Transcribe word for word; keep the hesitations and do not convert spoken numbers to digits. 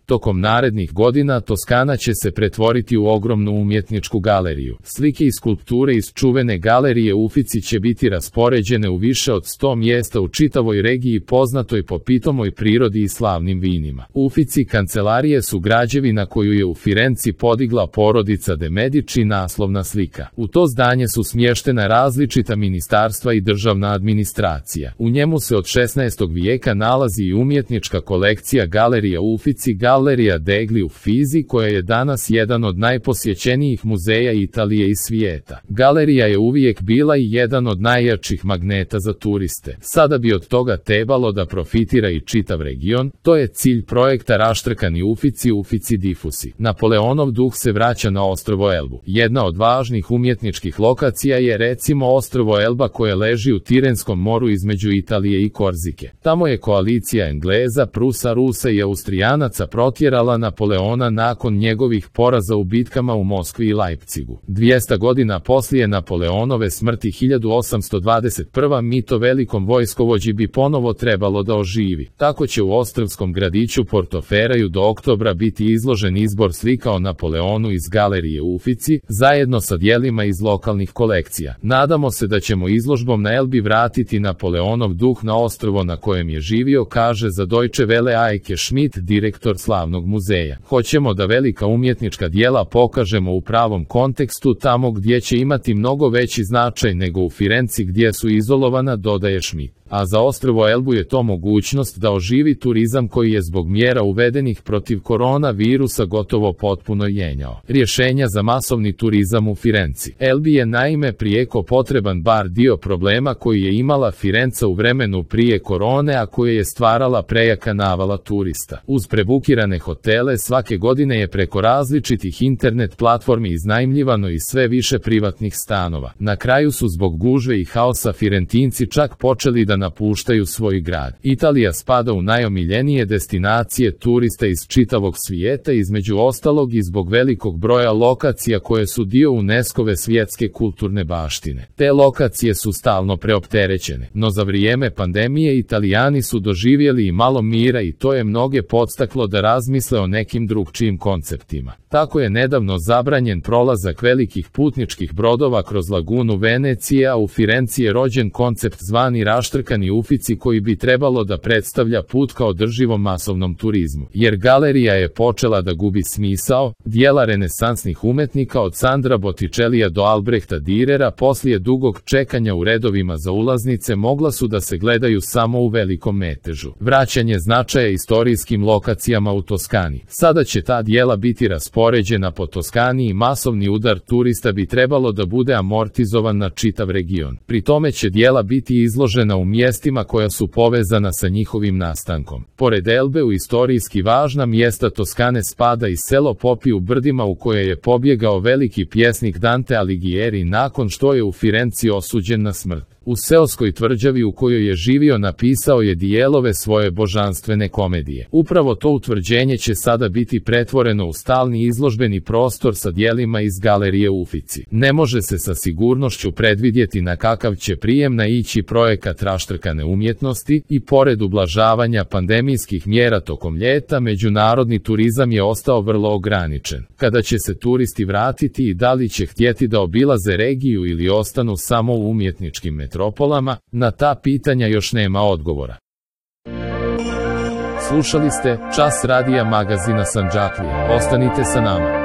Tokom narednih godina Toskana će se pretvoriti u ogromnu umjetničku galeriju. Slike i skulpture iz čuvene galerije Uffizi će biti raspoređene u više od sto mjesta u čitavoj regiji poznatoj po pitomoj prirodi i slavnim vinima. Uffizi kancelarije su građevina koju je u Firenci podigla porodica de Medici, naslovna slika. U to zdanje su smještena različita ministarstva i državna administracija. U njemu se od šesnaestog vijeka nalazi i umjetnička kolekcija Galerija Uffizi, Galerija degli Uffizi, koja je danas jedan od najposjećenijih muzeja Italije i svijeta. Galerija je uvijek bila i jedan od najjačih magneta za turiste. Sada bi od toga trebalo da profitira i čitav region, to je cilj projekta Raštrkani Uffizi, Uffizi diffusi. Napoleonov duh se vraća na ostrvo Elbu. Jedna od važnih umjetničkih lokacija je recimo ostrvo Elba koje leži u Tirenskom moru između Italije i Korzike. Tamo je koalicija Engleza, Prusa, Rusa i Austrijanaca protjerala Napoleona nakon njegovih poraza u bitkama u Moskvi i Leipzigu. dvjesto godina poslije Napoleonove smrti hiljadu osamsto dvadeset prve. mito velikom vojskovođi bi ponovo trebalo da oživi. Tako će u ostrvskom gradiću Portoferaju do oktobra biti izložen izbor slika o Napoleonu iz galerije Uffizi, zajedno sa dijelima iz lokalnih kolekcija. Nadamo se da ćemo izložbom na Elbi vratiti Napoleonov duh na ostrvo na kojem je živio, kaže za Deutsche Welle Eike Schmidt, direktor slavnog muzeja. Hoćemo da velika umjetnička dijela pokažemo u pravom kontekstu, tamo gdje će imati mnogo veći značaj nego u Firenci gdje su izolovana, dodaje Schmidt. A za ostrvo Elbu je to mogućnost da oživi turizam koji je zbog mjera uvedenih protiv koronavirusa gotovo potpuno jenjao. Rješenja za masovni turizam u Firenci. Elbi je naime prijeko potreban bar dio problema koji je imala Firenca u vremenu prije korone, a koje je stvarala prejaka navala turista. Uz prebukirane hotele svake godine je preko različitih internet platformi iznajmljivano i sve više privatnih stanova. Na kraju su zbog gužve i haosa Firentinci čak počeli da napuštaju svoj grad. Italija spada u najomiljenije destinacije turista iz čitavog svijeta, između ostalog i zbog velikog broja lokacija koje su dio UNESCO-ve svjetske kulturne baštine. Te lokacije su stalno preopterećene, no za vrijeme pandemije Italijani su doživjeli i malo mira i to je mnoge podstaklo da razmisle o nekim drugčijim konceptima. Tako je nedavno zabranjen prolazak velikih putničkih brodova kroz lagunu Venecije, a u Firenci je rođen koncept zvani Raštrkani Uffizi koji bi trebalo da predstavlja put ka održivom masovnom turizmu. Jer galerija je počela da gubi smisao, dijela renesansnih umetnika od Sandra Botticellija do Albrehta Dürera poslije dugog čekanja u redovima za ulaznice mogla su da se gledaju samo u velikom metežu. Vraćanje značaja istorijskim lokacijama u Toskani. Sada će ta dijela biti raspoređena po Toskani i masovni udar turista bi trebalo da bude amortizovan na čitav region. Pri tome će dijela biti izložena u mjestima koja su povezana sa njihovim nastankom. Pored Elbe u istorijski važna mjesta Toskane spada i selo Popi u brdima u koje je pobjegao veliki pjesnik Dante Alighieri nakon što je u Firenci osuđen na smrt. U seoskoj tvrđavi u kojoj je živio napisao je dijelove svoje božanstvene komedije. Upravo to utvrđenje će sada biti pretvoreno u stalni izložbeni prostor sa dijelima iz galerije Uffizi. Ne može se sa sigurnošću predvidjeti na kakav će prijem naići projekat Raštrkane umjetnosti i pored ublažavanja pandemijskih mjera tokom ljeta, međunarodni turizam je ostao vrlo ograničen. Kada će se turisti vratiti i da li će htjeti da obilaze regiju ili ostanu samo u umjetničkim metropolama, na ta pitanja još nema odgovora. Slušali ste Čas radija magazina Sandžaklija. Ostanite sa nama.